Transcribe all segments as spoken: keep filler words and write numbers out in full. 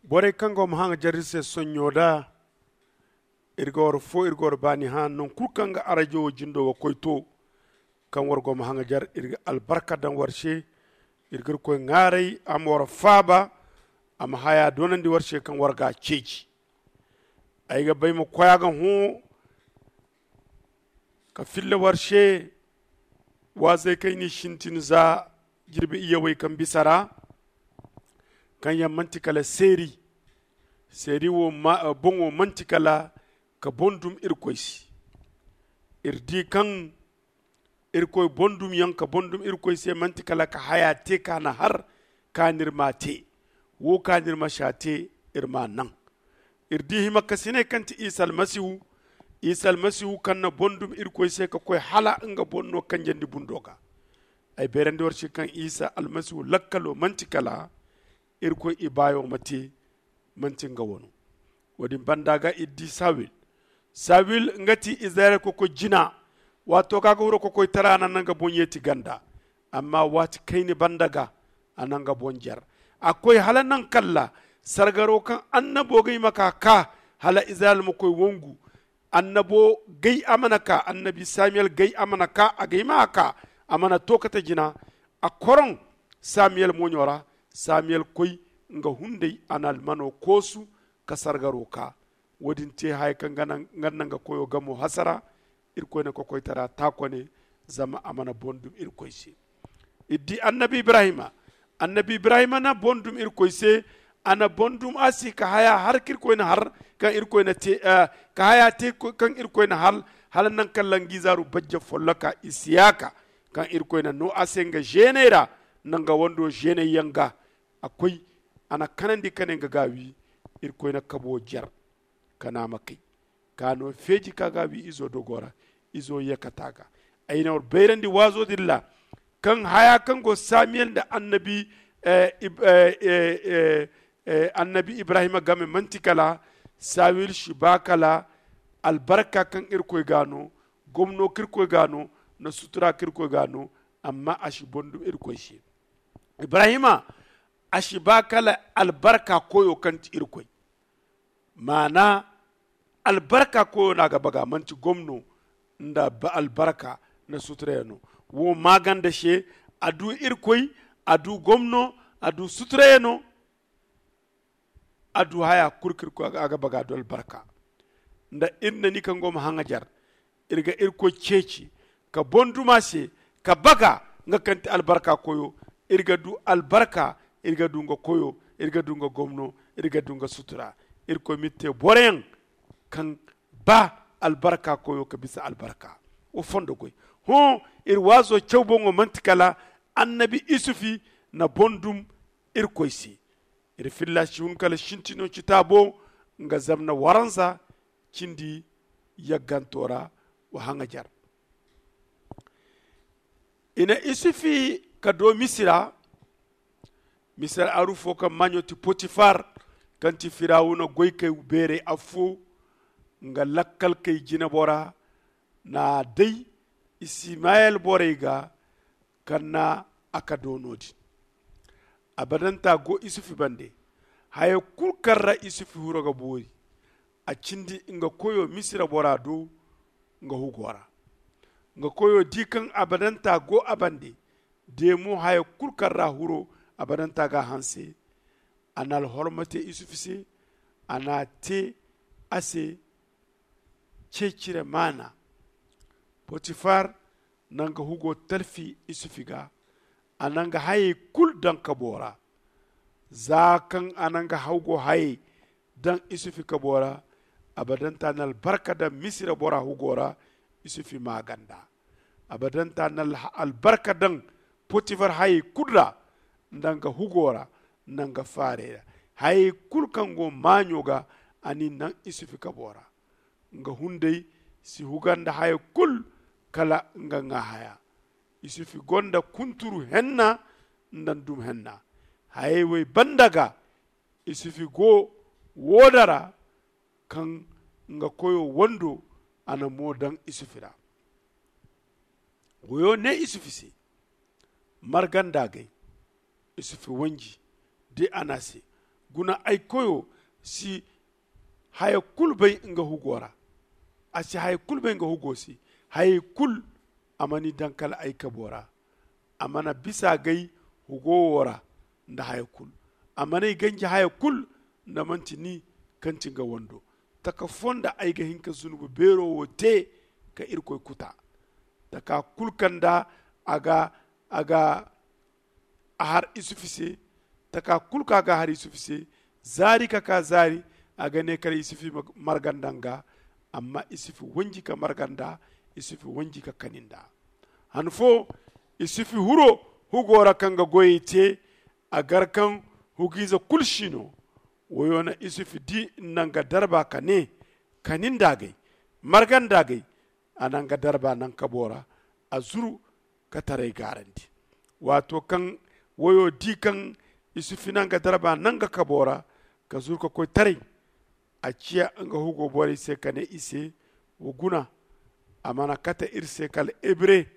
Borey kaŋ go ma haŋajar iri se sonɲo da, iri ga war fo iri ga war baani hã non kulu kaŋ ga arajo wo jindo ga koy to. Kaŋ war go ma haŋajar iri ga albarka daŋ war se. Iri ga iri koy ŋaaray a ma war faaba, a ma haya doonandi war se kaŋ war ga a ceeci. Ay ga bay ma koy a ga hõ ka filla war se waazey kaŋ i n'i sintin za jirbi iyyawey kaŋ bisa ra, kaŋ yaŋ manti kala seeri. Seeri wo boŋo manti kala ka boŋ dum irkoy se. Iri di kaŋ irkoy boŋ dum yaŋ ka boŋ dum irkoy se manti kala ka haya te ka na har ka n'iri ma te. Wo ka n'iri ma si a te iri ma naŋ. Iri di hima kasiney kaŋ ti isa almasihu. Isa almasihu kaŋ na boŋ dum irkoy se ka koy hala nga boŋ no kanjandi bundo ga. Ay bayrandi war se kaŋ isa almasihu lakkalo manti kala irkoy ibaayo ma te, manti nga wano. Wo- din banda ga iri di sawil. Sawil nga ti izirayel kokoy jina. Waato kaŋ a ga huro kokoytara a na nga boŋ yeeti ganda. Amma waati kayna banda ga a na nga boŋ jer. A koy hala naŋ kalla sargaro kaŋ annabo ga hima ka ka hala izirayel ma koy wongu. Annabo gay a mana ka annabi samiyel gay a mana ka a gay ma a ka. A mana to kate jina. A koroŋ samiyel mooɲo ra. Samiyel koy nga hunday a na almano koosu ka sargaro ka. Wo- din te haya kaŋ nga naŋ nga koyo gamo hasara. Irkoy na kokoytara taakone zama a mana boŋ dum irkoy se. Iri di annabi ibrahima. Annabi ibrahima na boŋ dum irkoy se. A na boŋ dum a se ka haya har kaŋ irkoy na har kaŋ irkoy na te ka haya te kaŋ irkoy na har hala naŋ kaŋ langiizaaru bajja folloka isiyaka kaŋ irkoy na no a se nga zeeney ra. Nda nga wando zeeney yaŋ ga a koy a na kanandi ka ne nga ga a wi. Irkoy na kabo jer ka na a ma kay ka no feeji ka ga a wi izo dogo ra. Izo yakata ga ay na war bayrandi waazo din ra kaŋ haya kaŋ go samiyel nda annabi annabi ibrahima game manti kala sawil si ba kala albarka kaŋ irkoy ga no gomno kaŋ irkoy ga no nda sutura kaŋ irkoy ga no. Amma a si boŋ dum irkoy se. Ibrahima a si ba kala albarka koyo kaŋ ti irkoy. Maana albarka koyo no a ga baga manti gomno nda albarka nda suturayano. Wo maaganda se a du irkoy, a du gomno, a du suturayano. A du haya kulu kaŋ a ga baga du albarka. Nda iri na ni kaŋ go ma haŋajar iri ga irkoy ceeci ka boŋ duma se ka baga nga kaŋ ti albarka koyo. Iri ga du albarka, iri ga du nga koyo, iri ga du nga gomno, iri ga du nga sutura. Irkoy ma iri te boroyaŋ kaŋ ba albarka koyo ka bisa albarka. Wo fondo goy. Hõ iri waazo caw boŋo manti kala annabi isufi na boŋ dum irkoy se. Iri filla si hun kala sintino citaabo nga zamna waranza cindi yagganto ra. Wa haŋajar i na isufi ka do misira. Misira aru fo kaŋ maaɲo ti potifar kaŋ ti firawuna goykey beerey affo. Nga lakkalkey jinebora na a day isimayel borey ga kaŋ na a ka do no- din. Abadanta go isufi bande. Haya kulu kaŋ ra isufi hiro ga boori a cindi nga koyo misira bora do. Nga hugo ra nga koyo di kaŋ abadanta go a bande. De mo haya kulu kaŋ ra huro abadanta ga a hanse. A na alhorma te isufi se. A na a te a se ceecire maana. Potifar na nga hugo talfi isufi ga. A na nga hayey kulu daŋ kabo ra. Za kaŋ a na nga hugo hayey daŋ isufi kabo ra. Abadanta na albarka daŋ misira bora hugo ra. Isufi maaganda abadanta na albarka daŋ potifar hayey kulu ra. Nda nga hugo ra nda nga faarey ra hayey kulu kaŋ go maaɲo ga. A n'i naŋ isufi kabo ra. Nga hunday si huga nda haya kulu kala nga ŋwa haya. Isufi gonda kunturu henna nda ndum henna. Hayey wey banda ga isufi go wooda ra kaŋ nga koyo wando a na mo daŋ isufi ra. Goyo ne isufi se marganda gay. Isufi wanji de a ne a se Guna ay koyo si haya kulu bay nga hugo ra. A si haya kulu bay nga hugo se. Hayey kulu a mana i daŋ kala ay kabo ra. A mana bisa gay hugo wo ra nda haya kulu. A mana ay ganji haya kulu nda manti ni kaŋ ti nga wando. Taka fo nda ay ga hin ka zunubu beero wo te ka irkoy kuta. Taka kulu kaŋ nda a ga a ga a har isufi se. Taka kulu kaŋ a ga a har isufi se, zaari ka ka zaari, a ga ne kala isufi marganda nga. Amma isufi wanji ka marganda, isufi wanji ka kaninda. Han fo isufi huro hugo ra kaŋ ga goyey te. A gar kaŋ hugiize kulu si no. Woyo na isufi di nda nga darba ka ne, kaninda gay, marganda gay. A na nga darba naŋ kabo ra, a zuru ka taray gaarandi. Waato kaŋ woyo di kaŋ isufi na nga darba naŋ nga kabo ra ka zuru ka koy taray, a ciya nga hugo borey se ka ne i se, wa guna, a mana kate iri se kala hebre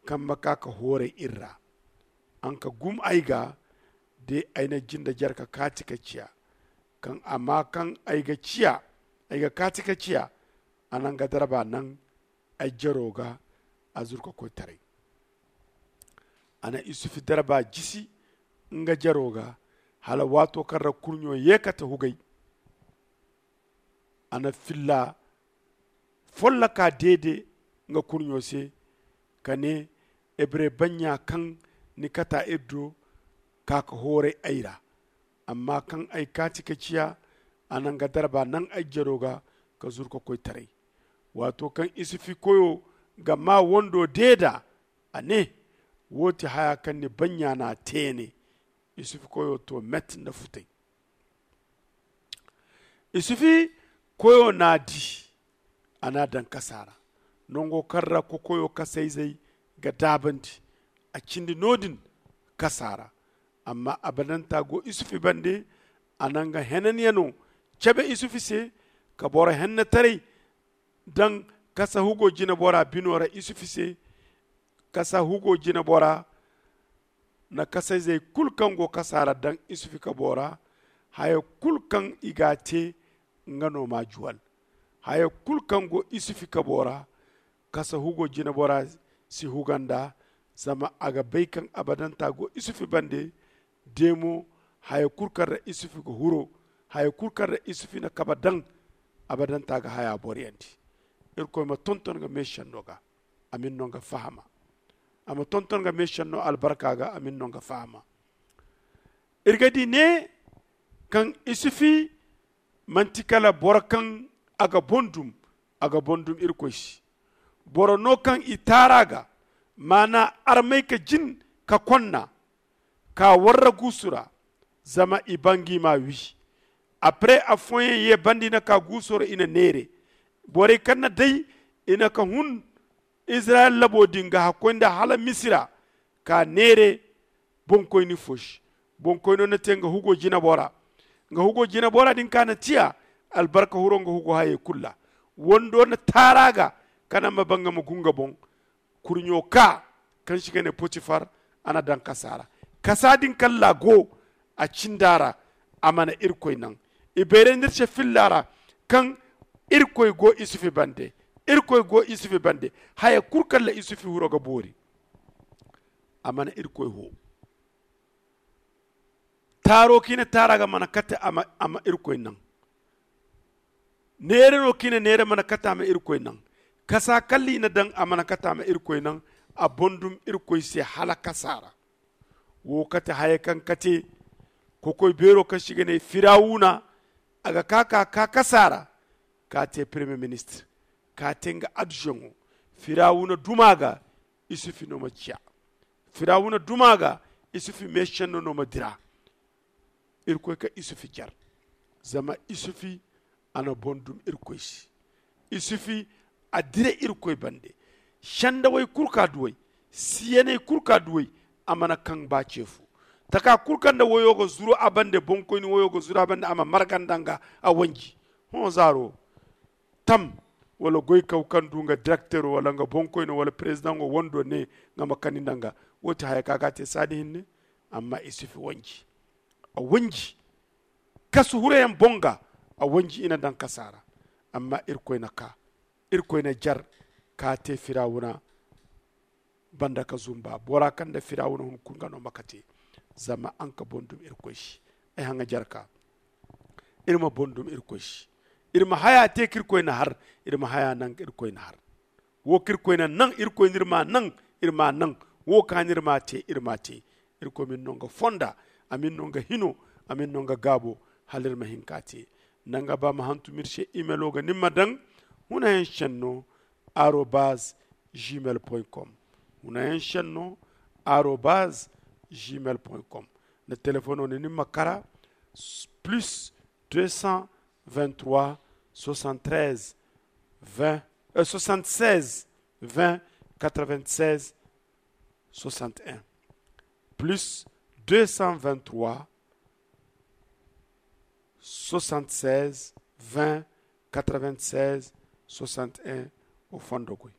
kaŋ ma ka ka hooray iri ra. An ka gum ay ga de ay na jinde jare ka kaati ka ciya. Kaŋ amma kaŋ ay ga ciya ay ga kaati ka ciya. A na nga darba naŋ ay jaro ga, a zuru ka koy taray. A na isufi darba jisi nga jaro ga hala waato kaŋ ra kurɲo ye kate hugay. A na filla folloka deede nga kurɲo se ka ne, hebre banɲa kaŋ ni kata iri do, ka ka hooray ay ra. Amma kaŋ ay kaati ka ciya, a na nga darba naŋ ay jaro ga ka zuru ka koy taray. Waato kaŋ isufi koyo ga maa wando deeda, a ne, wo ti haya kaŋ ni banɲa n'a te ne. Isufi koyo to met nda futay. Isufi koyo n'a di, a n'a daŋ kasa ra, nango kaŋ ra kokoyo kasayzey ga daabandi. A cindi no-din kasa ra. Amma abadanta go isufi bande. A na nga henanyano cabe isufi se, ka boro hennetaray daŋ kasa hugo jinebora bino ra isufi se. Kasa hugo jinebora na kasayzey kulu kaŋ go kasa ra daŋ isufi kabo ra. Haya kulu kaŋ i g'a te, nga no m'a juwal. Haya kulu kaŋ go isufi kabo ra, kasa hugo jinebora si huga nd'a. Zama a ga bay kaŋ abadanta go isufi bande. De mo, haya kulu kaŋ ra isufi ga huro, haya kulu kaŋ ra isufi na kabe daŋ, abadanta ga haya boroyandi. Irkoy ma tonton nga meesenno ga, a ma iri no nga fahama. A ma tonton nga meesenno albarka ga, a ma iri no nga fahama. Iri ga di ne kaŋ isufi manti kala boro kaŋ a ga boŋ dum. A ga boŋ dum irkoy se. Boro no kaŋ i taar'a ga, maana armay ka jin ka konna, ka warra guusu ra, zama i ba ngi m'a wi. Après afooyaŋ ye banda i na ka guuso ra i na neere. Borey kaŋ na day i na ka hun izirayel labo din ga hakkoy nda hala misira, ka neere boŋkoyni fo se. Boŋkoyno na te nga hugo jinabo ra. Nga hugo jinabo ra din ka na tiya albarka huro nga hugo hayey kulu ra. Wando na taar'a ga, kala a ma ba nga ma gu nga boŋ. Kurɲo ka kaŋ se i ga ne potifar, a na daŋ kasa ra. Kasa din kaŋ ra a go, a cind'a ra. A mana irkoy naŋ. I bayray n'iri se filla ra kaŋ irkoy go isufi bande. Irkoy go isufi bande. Haya kulu kaŋ ra isufi huro ga boori, a mana irkoy ho. Taaro kaŋ i na taar'a ga mana kate a ma irkoy naŋ. Neera no kaŋ i na neera mana kate a ma irkoy naŋ. Kasa kaŋ ra i na daŋ a mana kate a ma irkoy naŋ. A boŋ dum irkoy se hala kasa ra. Wo kate haya kaŋ kate kokoy beero kaŋ se i ga ne firawuna, a ga ka ka ka kasa ra, ka te premier ministre, ka te nga adjoint. Firawuna duma ga isufi no ma ciya. Firawuna duma ga isufi meesenno no ma dira. Irkoy ka isufi jar, zama isufi a na boŋ dum irkoy se. Isufi a dira irkoy bande. Sendawey kulu ka duw'ey, siyaney kulu ka duw'ey, a mana kaŋ ba ce fo. Taka kulu kaŋ nda wayo ga zuru a bande, boŋkoyni wayo ga zuru a bande, a ma marga nda nga a wanji. Hõ zaaro tam, wala goykaw kaŋ du nga direktero wala nga boŋkoyno wala perezidaŋo wando ne nga ma kani nda nga. Wo ti haya kaŋ a ga a te saadi hinne. Amma isufi wanji, a wanji. Kasu hurayaŋ boŋ ga a wanji i na daŋ kasa ra. Amma irkoy na ka irkoy na jar ka te firawuna banda ka zumba bora kaŋ nda firawuna hunkuna nga no ma kate. Zama a nga boŋ dumi irkoy se. Ay haŋa jar ka iri ma boŋ dumi irkoy se. Iri ma haya te ka irkoy na har iri ma haya naŋ ka irkoy na har. Wo kaŋ irkoy na naŋ irkoy no iri ma naŋ iri ma naŋ. Wo kaŋ a no iri ma te iri ma te. Irkoy ma iri no nga fonda a ma iri no nga hino a ma iri no nga gaabo. Hala iri ma hin ka te. Nda nga ba ma hantum iri se imelo ga ni ma daŋ hunayaŋ senno arobaz gmail point com. Hunayaŋ senno arobaz gmail point com. Nda telefono ni ni ma kara plus deux cent vingt trois soixante treize vingt soixante seize vingt quatre vingt seize soixante un plus deux cent vingt trois soixante seize vingt quatre vingt seize soixante un. O fondo koy.